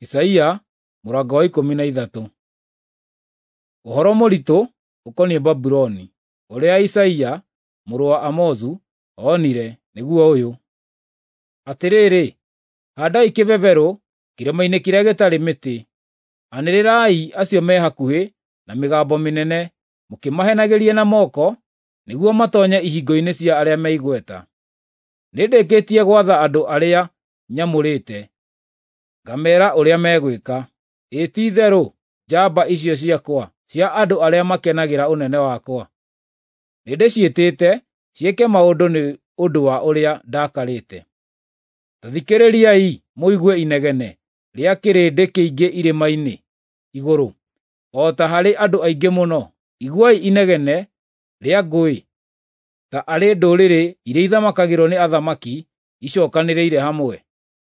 Isaia mũrango wa 13. Ũhoro mũritũ ũkoniĩ Babuloni, ũrĩa Isaia mũrũ wa Amozu onire, nĩguo ũyũ: Atĩrĩrĩ, haandai kĩbeberũ kĩrĩma-inĩ kĩrĩa gĩtarĩ mĩtĩ; anĩrĩrai acio me hakuhĩ na mĩgambo mĩnene, mũkĩmahenagĩria na moko, nĩguo matoonye ihingo-inĩ cia arĩa me igweta. Nĩndĩkĩtie gwatha andũ arĩa nyamũrĩte, ngameera ũrĩa megwĩka. Ĩ ti-itherũ njamba icio ciakwa cia andũ arĩa makenagĩra ũnene wakwa, nĩndĩciĩtĩte ciĩke maũndũ nĩ ũndũ wa ũrĩa ndakarĩte. Ta thikĩrĩriai mũigue inegene rĩa kĩrĩndĩ kĩingĩ irĩma-inĩ igũrũ, o ta harĩ andũ aingĩ mũno! Iguai inegene rĩa ngũĩ, ta arĩ ndũrĩrĩ iria ithamakagĩrwo nĩ athamaki icookanĩrĩire hamwe!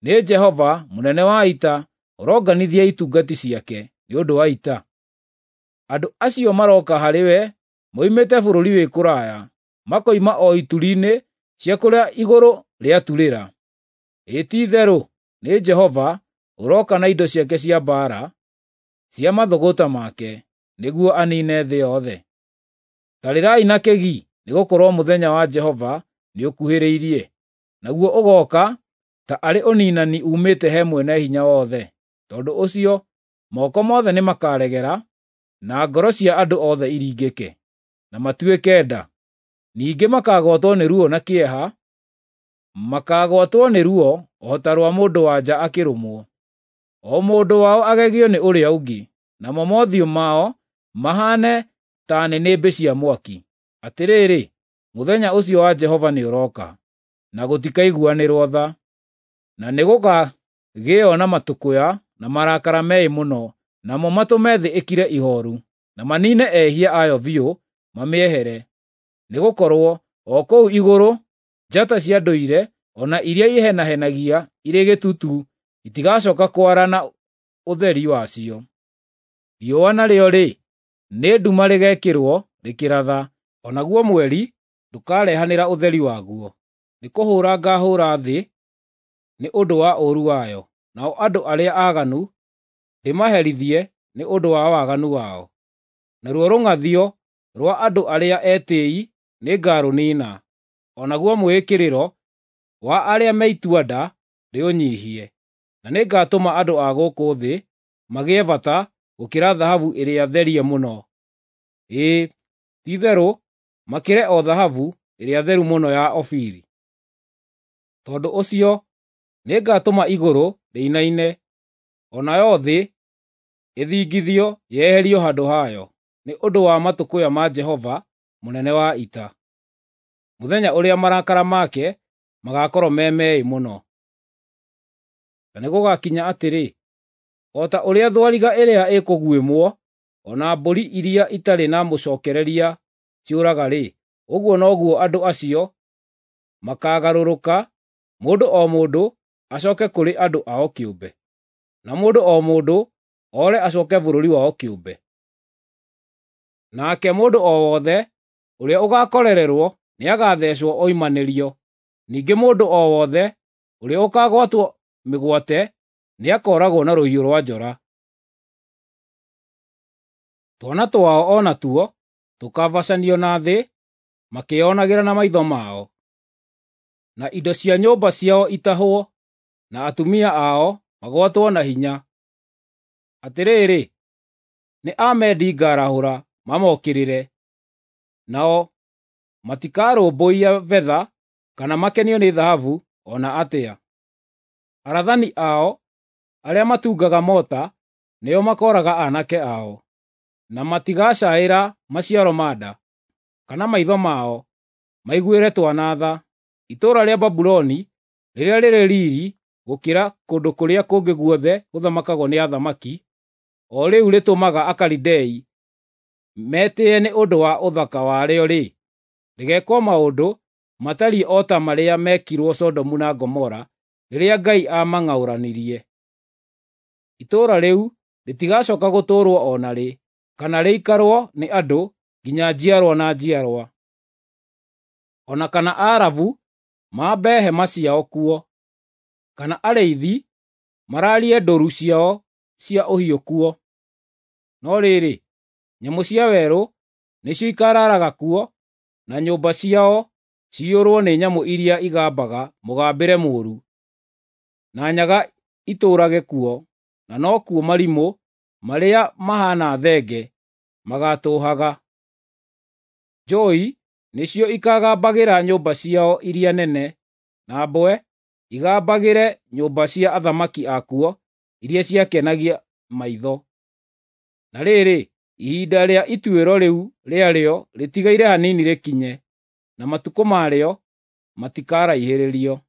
Nĩ Jehova mũnene wa ita ũronganithia itungati ciake nĩ ũndũ wa ita. Andũ acio marooka harĩ we moimĩte bũrũri wĩ kũraya, makoima o ituri-inĩ cia kũrĩa igũrũ rĩaturĩra. Ĩ ti-itherũ nĩ Jehova ũroka na indo ciake cia mbaara cia mathũgũta make, nĩguo aniine thĩ yothe. Ta rĩrai na kĩgi, nĩgũkorwo mũthenya wa Jehova nĩũkuhĩrĩirie, naguo ũgooka ta arĩ ũniinani uumĩte he Mwene-Hinya-Wothe. Tondũ ũcio moko mothe nĩmakaregera, na ngoro cia andũ othe iringĩke, na matuĩke nda. Ningĩ makaagwatwo nĩ ruo na kĩeha, makaagwatwo nĩ ruo o ta rwa mũndũ-wa-nja akĩrũmwo. O mũndũ wao agegio nĩ ũrĩa ũngĩ, namo mothiũ mao mahaane ta nĩnĩmbĩ cia mwaki. Atĩrĩrĩ, mũthenya ũcio wa Jehova nĩũrooka, na gũtikaiguanĩrwo tha, na nĩgũkagĩo na matũkũya na marakara meĩ mũno, namo matũme thĩ ĩkire ihooru, na maniine ehia ayo biũ mamĩehere. Nĩgũkorwo o kũu igũrũ njata cia ndũire o na iria ihenahenagia irĩ gĩtutu itigacooka kwara na ũtheri wacio. Riũa narĩo-rĩ, nĩ nduma rĩgekĩrwo rĩkĩratha, o naguo mweri ndũkarehanĩra ũtheri waguo. Nĩkũhũũra ngaahũũra thĩ nĩ ũndũ wa ũũru wayo, nao andũ arĩa aaganu ndĩmaherithie nĩ ũndũ wa waganu wao. Naruo rũng'athio rwa andũ arĩa etĩĩi nĩngarũniina, o naguo mwĩĩkĩrĩro wa arĩa me itua-nda ndĩũnyiihie, na nĩngatũma andũ a gũkũ thĩ magĩe bata gũkĩra thahabu ĩrĩa therie mũno, ĩĩ, ti-itherũ makĩre o thahabu ĩrĩa theru mũno ya Ofiri. Tondũ ũcio nĩngatũma igũrũ rĩinaine, o nayo thĩ ĩthingithio yeherio handũ hayo, nĩ ũndũ wa matũkũya ma Jehova mũnene wa ita, mũthenya ũrĩa marakara make magaakorwo me meĩ mũno. Na nĩgũgakinya atĩrĩ, o ta ũrĩa thwariga ĩrĩa ĩkũguĩmwo, o na mbũri iria itarĩ na mũcookereria ciũraga-rĩ, ũguo noguo andũ acio makaagarũrũka, mũndũ o mũndũ acooke kũrĩ andũ ao kĩũmbe, na mũndũ o mũndũ oore acooke bũrũri wao kĩũmbe. Nake mũndũ o wothe ũrĩa ũgaakorererwo nĩagathecwo oimanĩrio, ningĩ mũndũ o wothe ũrĩa ũkaagwatwo mĩgwate nĩakooragwo na rũhiũ rwa njora. Twana twao o natuo tũkaabacanio na thĩ makĩĩonagĩra na maitho mao, na indo cia nyũmba ciao itahwo, na atumia ao magwatwo na hinya. Atĩrĩrĩ, nĩ Amedi ngaarahũra mamokĩrĩre, nao matikarũmbũiya betha kana makenio nĩ thahabu o na atĩa. Arathani ao arĩa matungaga mota nĩo makooraga aanake ao, na matigacaĩra maciaro ma nda, kana maitho mao maiguĩre twana tha. Itũũra rĩa Babuloni rĩrĩa rĩrĩ riiri gũkĩra kũndũ kũrĩa kũngĩ guothe gũthamakagwo nĩ athamaki, o rĩu rĩtũmaga Akalidei metĩĩe nĩ ũndũ wa ũthaka warĩo-rĩ, rĩgeekwo maũndũ matariĩ o ta marĩa meekirwo Sodomu na Gomora rĩrĩa Ngai aamang'aũranirie. Itũũra rĩu rĩtigacooka gũtũũrwo o na rĩ, kana rĩikarwo nĩ andũ nginya njiarwa na njiarwa. O na kana Arabu mambe hema ciao kuo, kana arĩithi maraarie ndũru ciao cia ũhiũ kuo. No rĩrĩ, nyamũ cia werũ nĩcio ikaaraaraga kuo, na nyũmba ciao ciyũrwo nĩ nyamũ iria igambaga mũgambĩre mũũru, na nyaga itũũrage kuo, na nokuo marimũ marĩa mahaana thenge magaatũũhaga. Njũũi nĩcio ikaagambagĩra nyũmba ciao iria nene, na mbwe igambagĩre nyũmba cia athamaki akuo iria ciakenagia maitho. Na rĩrĩ, ihinda rĩa ituĩro rĩu rĩarĩo rĩtigaire hanini rĩkinye, na matukũ marĩo matikaraihĩrĩrio.